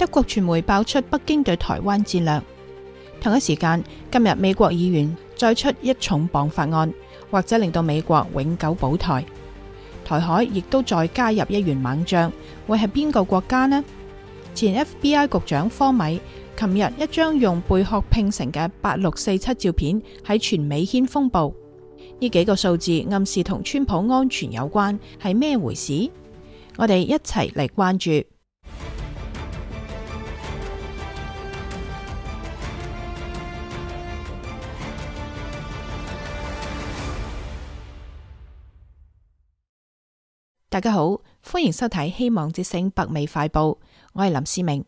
德國傳媒爆出北京對台灣戰略。同一時間，今日美國議員再出一重磅法案，或者令到美國永久保台。台海亦都再加入一員猛將，會係邊個國家呢？前 FBI 局長科米琴日一張用貝殼拼成嘅8647照片喺全美掀風暴。呢幾個數字暗示同川普安全有關，係咩回事？我哋一齊嚟關注。大家好，歡迎收睇希望之聲北美快報，我係林思明。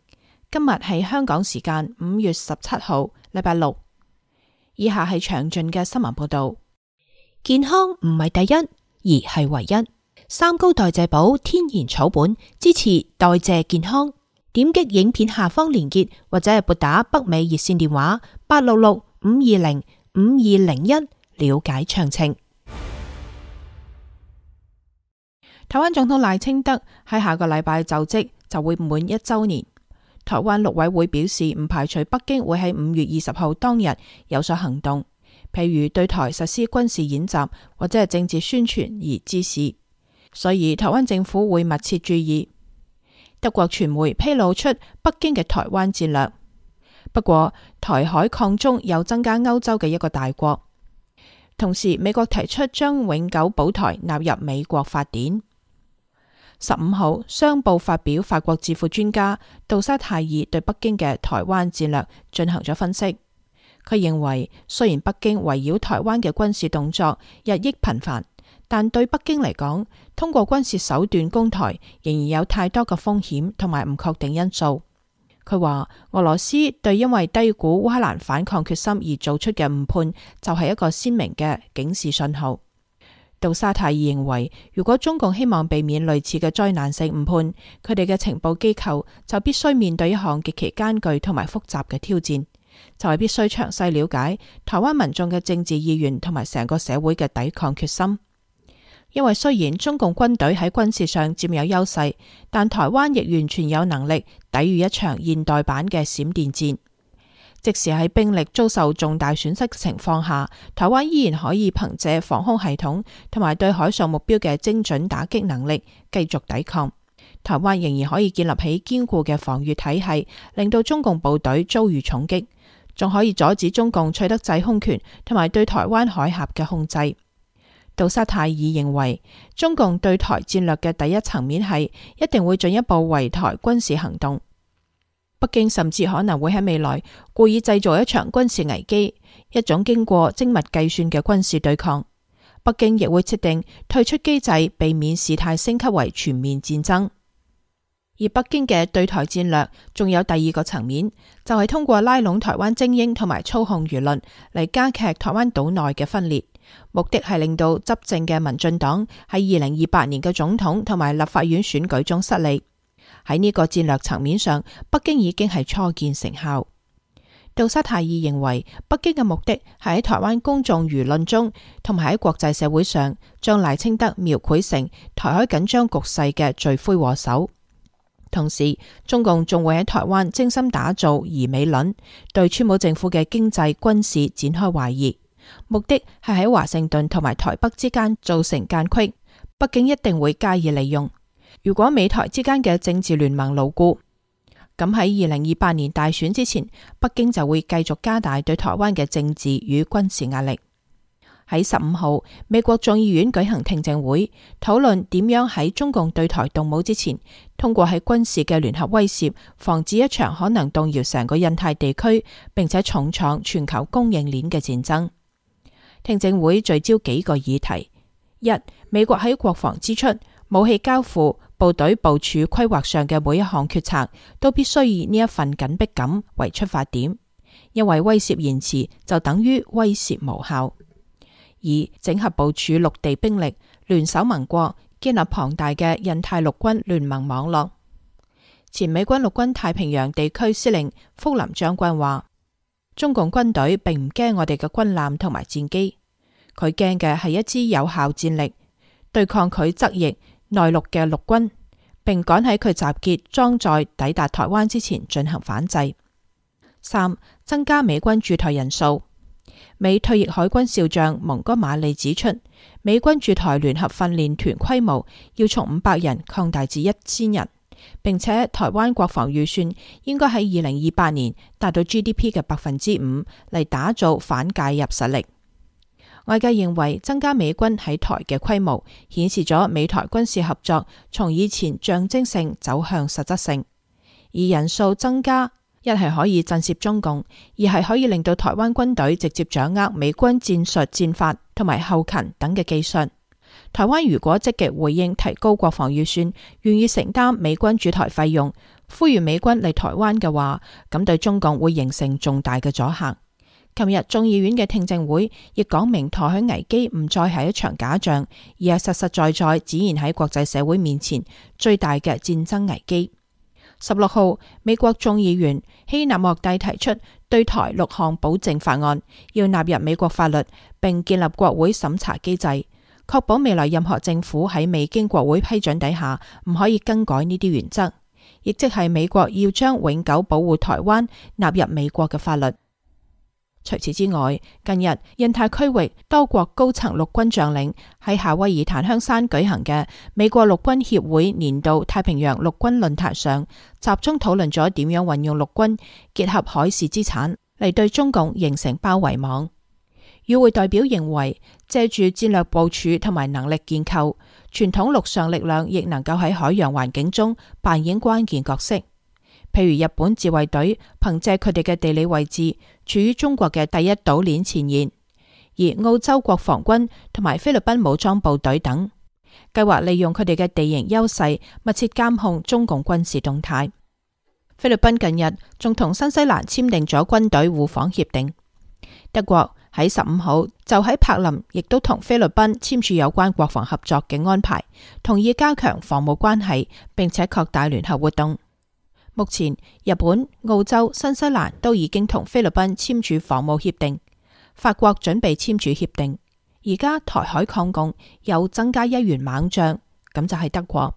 今日係香港時間5月17號，禮拜六。以下係詳盡嘅新聞報道。健康唔係第一，而係唯一。三高代謝寶天然草本，支持代謝健康。點擊影片下方連結，或者係撥打北美熱線電話866-520-5201了解詳情。台灣總統賴清德喺下個禮拜就職，就會滿1週年。台灣陸委會表示，唔排除北京會喺5月20號當日有所行動，譬如對台實施軍事演習或者係政治宣傳而之事，所以台灣政府會密切注意。德國傳媒披露出北京嘅台灣戰略，不過台海抗中又增加歐洲嘅一個大國，同時美國提出將永久保台納入美國法典。15號，商報發表法國智庫專家杜沙泰爾對北京嘅台灣戰略進行咗分析。佢認為，雖然北京圍繞台灣嘅軍事動作日益頻繁，但對北京嚟講，通過軍事手段攻台仍然有太多嘅風險同埋唔確定因素。佢話，俄羅斯對因為低估烏克蘭反抗決心而做出嘅誤判，就係一個鮮明嘅警示信號。杜沙泰爾認為，如果中共希望避免類似嘅災難性誤判，佢哋嘅情報機構就必須面對一項極其艱巨同埋複雜嘅挑戰，就係必須詳細了解台灣民眾嘅政治意願同埋成個社會嘅抵抗決心。因為雖然中共軍隊喺軍事上佔有優勢，但台灣亦完全有能力抵禦一場現代版嘅閃電戰。即使喺兵力遭受重大損失嘅情況下，台灣依然可以憑借防空系統同埋對海上目標嘅精準打擊能力繼續抵抗。台灣仍然可以建立起堅固嘅防禦體系，令到中共部隊遭遇重擊，仲可以阻止中共取得制空權同埋對台灣海峽嘅控制。杜沙泰爾認為，中共對台戰略嘅第一層面係一定會進一步圍台軍事行動。北京甚至可能會喺未來故意製造一場軍事危機，一種經過精密計算嘅軍事對抗。北京亦會設定退出機制，避免事態升級為全面戰爭。而北京嘅對台戰略仲有第二個層面，就係通過拉攏台灣精英同埋操控輿論嚟加劇台灣島內嘅分裂，目的係令到執政嘅民進黨喺2028年嘅總統同埋立法院選舉中失利。喺呢個戰略層面上，北京已經係初見成效。杜沙泰爾認為，北京嘅目的係喺台灣公眾輿論中同埋喺國際社會上，將賴清德描繪成台海緊張局勢嘅罪魁禍首。同時，中共仲會喺台灣精心打造疑美論，對川普政府嘅經濟軍事展開懷疑，目的係喺華盛頓同埋台北之間造成間隙。北京一定會加以利用。如果美台之間嘅政治聯盟牢固，咁喺2028年大選之前，北京就會繼續加大對台灣嘅政治與軍事壓力。喺15號，美國眾議院舉行聽證會，討論點樣喺中共對台動武之前，通過喺軍事嘅聯合威懾，防止一場可能動搖成個印太地區，並且重創全球供應鏈嘅戰爭。聽證會聚焦幾個議題：一、美國喺國防支出、武器交付、部隊部署規劃上嘅每一項決策，都必須以呢一份緊迫感為出發點，因為威懾延遲就等於威懾無效。二、整合部署陸地兵力，聯手盟國，建立龐大嘅印太陸軍聯盟網絡。前美軍陸軍太平洋地區司令福林將軍話，中共軍隊並唔驚我哋嘅軍艦同埋戰機，佢驚嘅係一支有效戰力，對抗佢側翼內陸嘅陸軍，並趕喺佢集結裝載抵達台灣之前進行反制。3. 增加美軍駐台人數。美退役海軍少將蒙哥馬利指出，美軍駐台聯合訓練團規模要從500人擴大至1000人，並且台灣國防預算應該喺2028年達到 GDP 嘅5%嚟打造反介入實力。外界認為增加美軍喺台嘅規模，顯示咗美台軍事合作從以前象徵性走向實質性，而人數增加一係可以震懾中共，二係可以令到台灣軍隊直接掌握美軍戰術戰法同埋後勤等嘅技術。台灣如果積極回應提高國防預算，願意承擔美軍駐台費用，呼籲美軍嚟台灣嘅話，咁對中共會形成重大嘅阻嚇。琴日眾議院嘅聽證會亦講明台海危機唔再係一場假象，而係實實在在展現喺國際社會面前最大嘅戰爭危機。16號，美國眾議員希納莫蒂提出對台6項保證法案，要納入美國法律，並建立國會審查機制，確保未來任何政府喺未經國會批准底下唔可以更改呢啲原則，亦即係美國要將永久保護台灣納入美國嘅法律。除此之外，近日印太區域多國高層陸軍將領喺夏威夷檀香山舉行嘅美國陸軍協會年度太平洋陸軍論壇上，集中討論咗點樣運用陸軍結合海事資產嚟對中共形成包圍網。與會代表認為，借住戰略部署同埋能力建構，傳統陸上力量亦能夠喺海洋環境中扮演關鍵角色。譬如日本自衛隊憑借佢哋嘅地理位置，處於中國嘅第一島鏈前沿；而澳洲國防軍同埋菲律賓武裝部隊等，計劃利用佢哋嘅地形優勢，密切監控中共軍事動態。菲律賓近日仲同新西蘭簽訂咗軍隊互訪協定。德國喺15號就喺柏林亦都同菲律賓簽署有關國防合作嘅安排，同意加強防務關係，並且擴大聯合活動。目前，日本、澳洲、新西蘭都已經同菲律賓簽署防務協定，法國準備簽署協定。而家台海抗共又增加一員猛將，咁就係德國。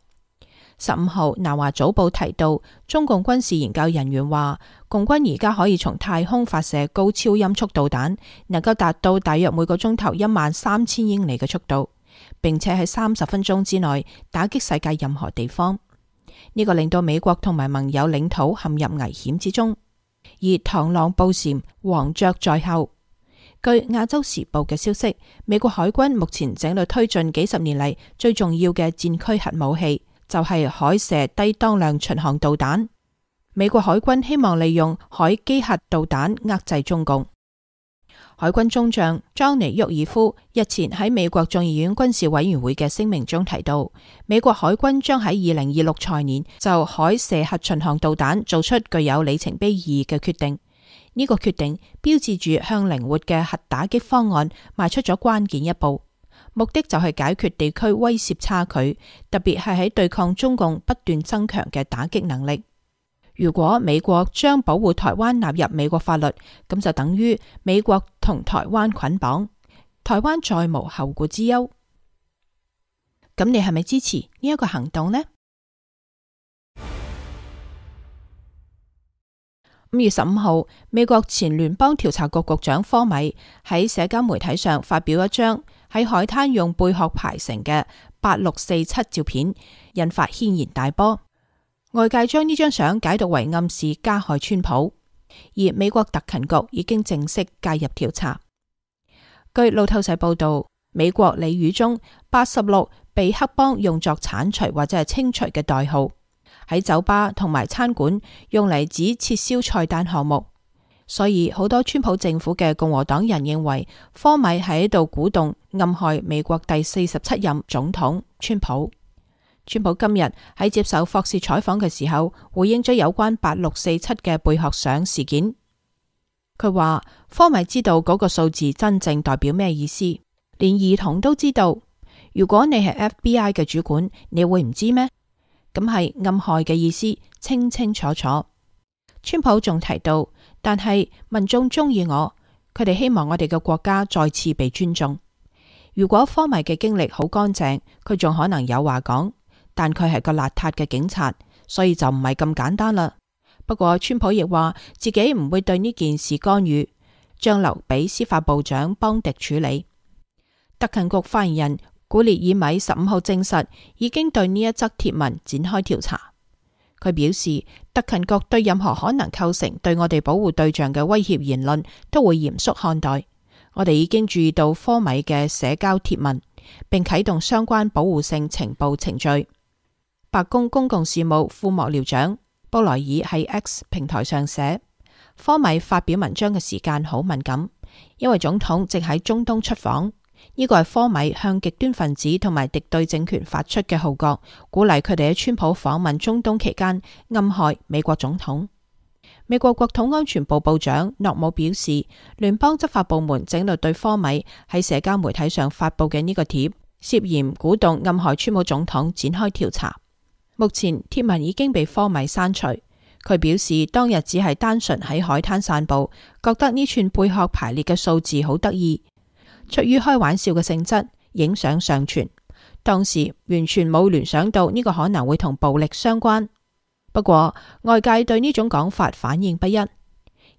15號，南華早報提到，中共軍事研究人員話，共軍而家可以從太空發射高超音速導彈，能夠達到大約每個鐘頭13000英里嘅速度，並且喺30分鐘之內打擊世界任何地方。呢個令到美國同埋盟友領土陷入危險之中，而螳螂捕蟬，黃雀在後。據亞洲時報嘅消息，美國海軍目前正在推進幾十年嚟最重要嘅戰區核武器，就係海射低當量巡航導彈。美國海軍希望利用海基核導彈遏制中共。海軍中將莊尼沃爾夫日前喺美國眾議院軍事委員會嘅聲明中提到，美國海軍將喺2026財年就海射核巡航導彈做出具有里程碑意義嘅決定。呢個決定標誌住向靈活嘅核打擊方案邁出咗關鍵一步，目的就係解決地區威懾差距，特別係喺對抗中共不斷增強嘅打擊能力。如果美國將保護台灣納入美國法律，咁就等於美國同台灣捆綁，台灣再無後顧之憂。咁你係咪支持呢一個行動呢？5月15號，美國前聯邦調查局局長科米喺社交媒體上發表一張喺海灘用貝殼排成嘅8647照片，引發軒然大波。外界將呢張相解讀為暗示加害川普，而美國特勤局已經正式介入調查。據路透社報道，美國俚語中86被黑幫用作鏟除或者係清除嘅代號，喺酒吧同埋餐館用嚟指撤銷菜單項目，所以好多川普政府嘅共和黨人認為科米喺度鼓動暗害美國第47任總統川普。川普今日喺接受霍士採訪嘅時候，回應咗有關8647嘅貝殼相事件。佢話科米知道嗰個數字真正代表咩意思，連兒童都知道。如果你係 FBI 嘅主管，你會唔知咩？咁係暗害嘅意思，清清楚楚。川普仲提到，但係民眾中意我，佢哋希望我哋嘅國家再次被尊重。如果科米嘅經歷好乾淨，佢仲可能有話講。但佢係個邋遢嘅警察，所以就唔係咁簡單啦。不過川普亦話自己唔會對呢件事干預，將留俾司法部長邦迪處理。特勤局發言人古列爾米15號證實已經對呢一則貼文展開調查。佢表示，特勤局對任何可能構成對我哋保護對象嘅威脅言論都會嚴肅看待。我哋已經注意到科米嘅社交貼文，並啟動相關保護性情報程序。白宮公共事務副幕僚長布萊爾喺 X 平台上寫，科米發表文章嘅時間好敏感，因為總統正喺中東出訪。呢個係科米向極端分子同埋敵對政權發出嘅號角，鼓勵佢哋喺川普訪問中東期間暗害美國總統。美國國土安全部部長諾姆表示，聯邦執法部門正律對科米喺社交媒體上發布嘅呢個貼涉嫌鼓動暗害川普總統展開調查。目前貼文已經被科米刪除。佢表示當日只係單純喺海灘散步，覺得呢串貝殼排列嘅數字好得意，出於開玩笑嘅性質，影相上傳。當時完全冇聯想到呢個可能會同暴力相關。不過外界對呢種講法反應不一。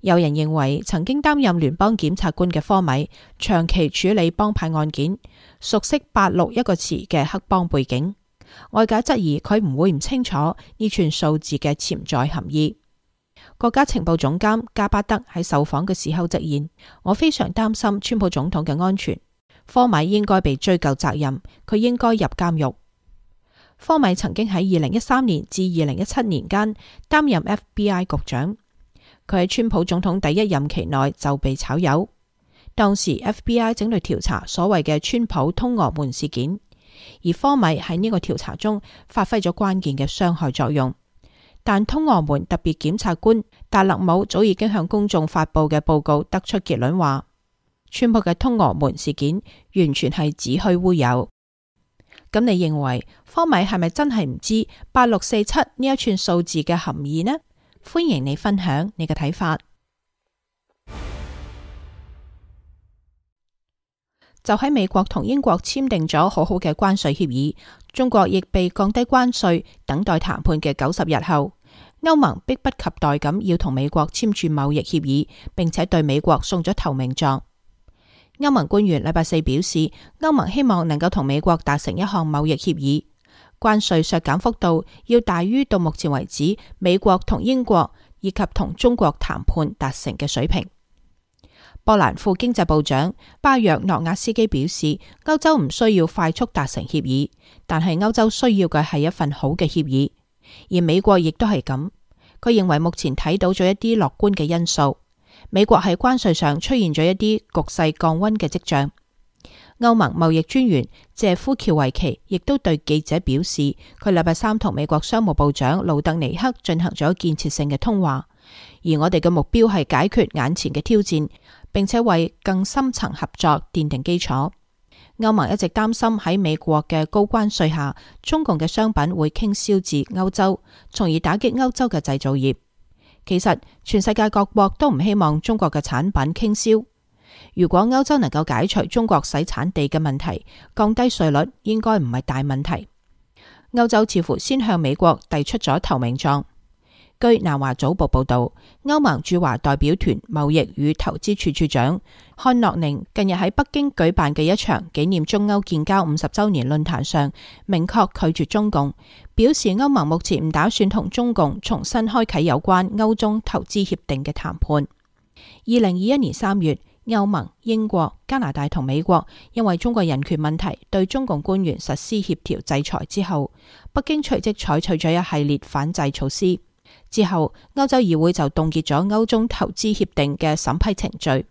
有人認為曾經擔任聯邦檢察官嘅科米長期處理幫派案件，熟悉86一個詞嘅黑幫背景。外界質疑佢唔會唔清楚呢串數字嘅潛在含義。國家情報總監加巴德喺受訪嘅時候直言，我非常擔心川普總統嘅安全。科米應該被追究責任，佢應該入監獄。科米曾經喺2013年至2017年間擔任 FBI 局長，佢喺川普總統第一任期內就被炒魷。當時 FBI 整理調查所謂嘅川普通俄門事件，而科米喺呢個調查中發揮咗關鍵嘅傷害作用。但通俄門特別檢察官達勒姆早已經向公眾發佈嘅報告得出結論話，川普嘅通俄門事件完全係子虛烏有。咁你認為科米係咪真係唔知8647呢一串數字嘅含義呢？歡迎你分享你嘅睇法。就喺美國同英國簽訂咗好好嘅關稅協議，中國亦被降低關稅，等待談判嘅90日後，歐盟迫不及待咁要同美國簽署貿易協議，並且對美國送咗投名狀。歐盟官員禮拜四表示，歐盟希望能夠同美國達成一項貿易協議，關稅削減幅度要大於到目前為止美國同英國以及同中國談判達成嘅水平。波蘭副經濟部長巴約諾亞斯基表示，歐洲唔需要快速達成協議，但係歐洲需要嘅係一份好嘅協議，而美國亦都係咁。佢認為目前睇到咗一啲樂觀嘅因素。美國喺關稅上出現咗一啲局勢降溫嘅跡象。歐盟貿易專員謝夫喬維奇亦都對記者表示，佢禮拜三同美國商務部長盧特尼克進行咗建設性嘅通話，而我哋嘅目標係解決眼前嘅挑戰，並且為更深層合作奠定基礎。歐盟一直擔心喺美國嘅高關稅下，中共嘅商品會傾銷至歐洲，從而打擊歐洲嘅製造業。其實全世界各國都唔希望中國嘅產品傾銷。如果歐洲能夠解除中國洗產地嘅問題，降低稅率應該唔係大問題。歐洲似乎先向美國遞出咗投名狀。據南華早報報道，歐盟駐華代表團貿易與投資處處長漢諾寧近日喺北京舉辦嘅一場紀念中歐建交50週年論壇上，明確拒絕中共，表示歐盟目前唔打算同中共重新開啟有關歐中投資協定嘅談判。2021年3月，歐盟、英國、加拿大同美國因為中國人權問題對中共官員實施協調制裁之後，北京隨即採取咗一系列反制措施。之後，歐洲議會就凍結咗歐中投資協定嘅審批程序。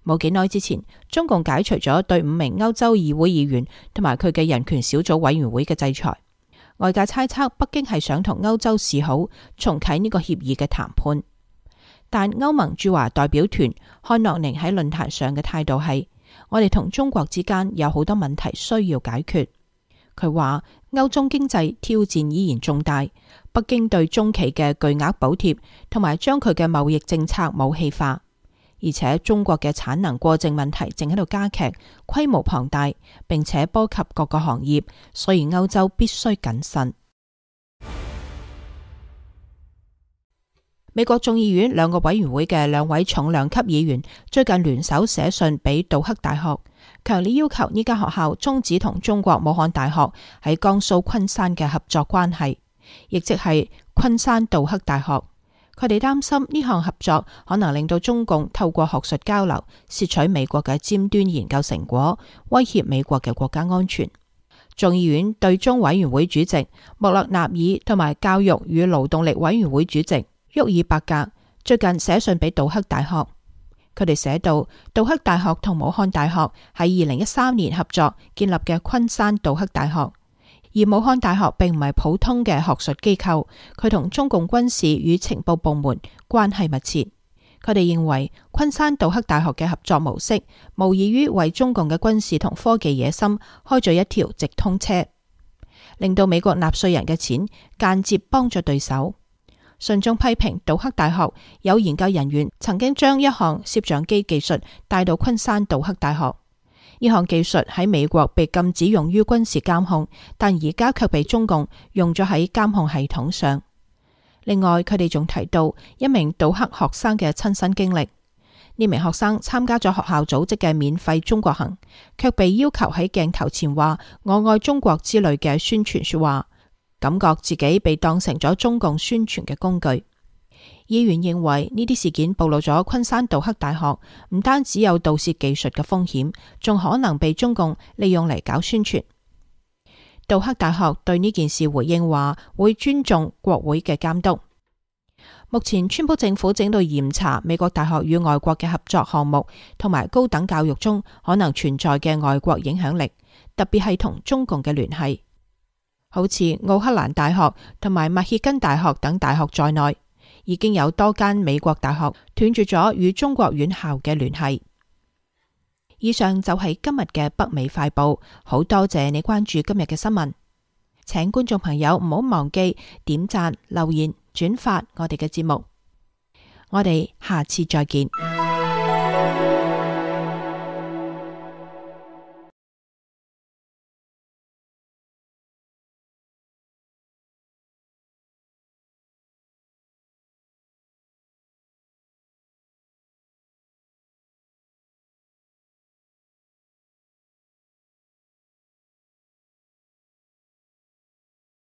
冇幾耐之前，中共解除咗對5名歐洲議會議員同埋佢嘅人權小組委員會嘅制裁。外界猜測北京係想同歐洲示好，重啟呢個協議嘅談判。但歐盟駐華代表團漢諾寧喺論壇上嘅態度係：我哋同中國之間有好多問題需要解決。佢話歐中經濟挑戰依然重大，北京對中企嘅巨額補貼同埋將佢嘅貿易政策武器化，而且中國嘅產能過剩問題正喺度加劇，規模龐大，並且波及各個行業，所以歐洲必須謹慎。美國眾議院兩個委員會嘅兩位重量級議員最近聯手寫信俾杜克大學，強烈要求呢間學校終止同中國武漢大學喺江蘇昆山嘅合作關係，亦即係昆山杜克大學。佢哋擔心呢項合作可能令到中共透過學術交流竊取美國嘅尖端研究成果，威脅美國嘅國家安全。眾議院對中委員會主席穆勒納爾同埋教育與勞動力委員會主席沃爾伯格最近寫信俾杜克大學，佢哋寫到杜克大學同武漢大學喺2013年合作建立嘅昆山杜克大學，而武漢大學並唔係普通嘅學術機構，佢同中共軍事與情報部門關係密切。佢哋認為昆山杜克大學嘅合作模式無異於為中共嘅軍事同科技野心開咗一條直通車，令到美國納稅人嘅錢間接幫助對手。信中批評杜克大學有研究人員曾經將一項攝像機技術帶到昆山杜克大學，呢項技術喺美國被禁止用於軍事監控，但而家卻被中共用咗喺監控系統上。另外，佢哋仲提到一名杜克學生嘅親身經歷，呢名學生參加咗學校組織嘅免費中國行，卻被要求喺鏡頭前話我愛中國之類嘅宣傳說話，感覺自己被當成咗中共宣傳嘅工具。議員認為呢啲事件暴露咗昆山杜克大學唔單止有盜竊技術嘅風險，仲可能被中共利用嚟搞宣傳。杜克大學對呢件事回應話會尊重國會嘅監督。目前川普政府正到嚴查美國大學與外國嘅合作項目同埋高等教育中可能存在嘅外國影響力，特別係同中共嘅聯繫。好似奧克蘭大學同埋密歇根大學等大學在內，已經有多間美國大學斷絕咗與中國院校嘅聯繫。以上就係今日嘅北美快報，好多謝你關注今日嘅新聞，請觀眾朋友唔好忘記點讚、留言、轉發我哋嘅節目，我哋下次再見。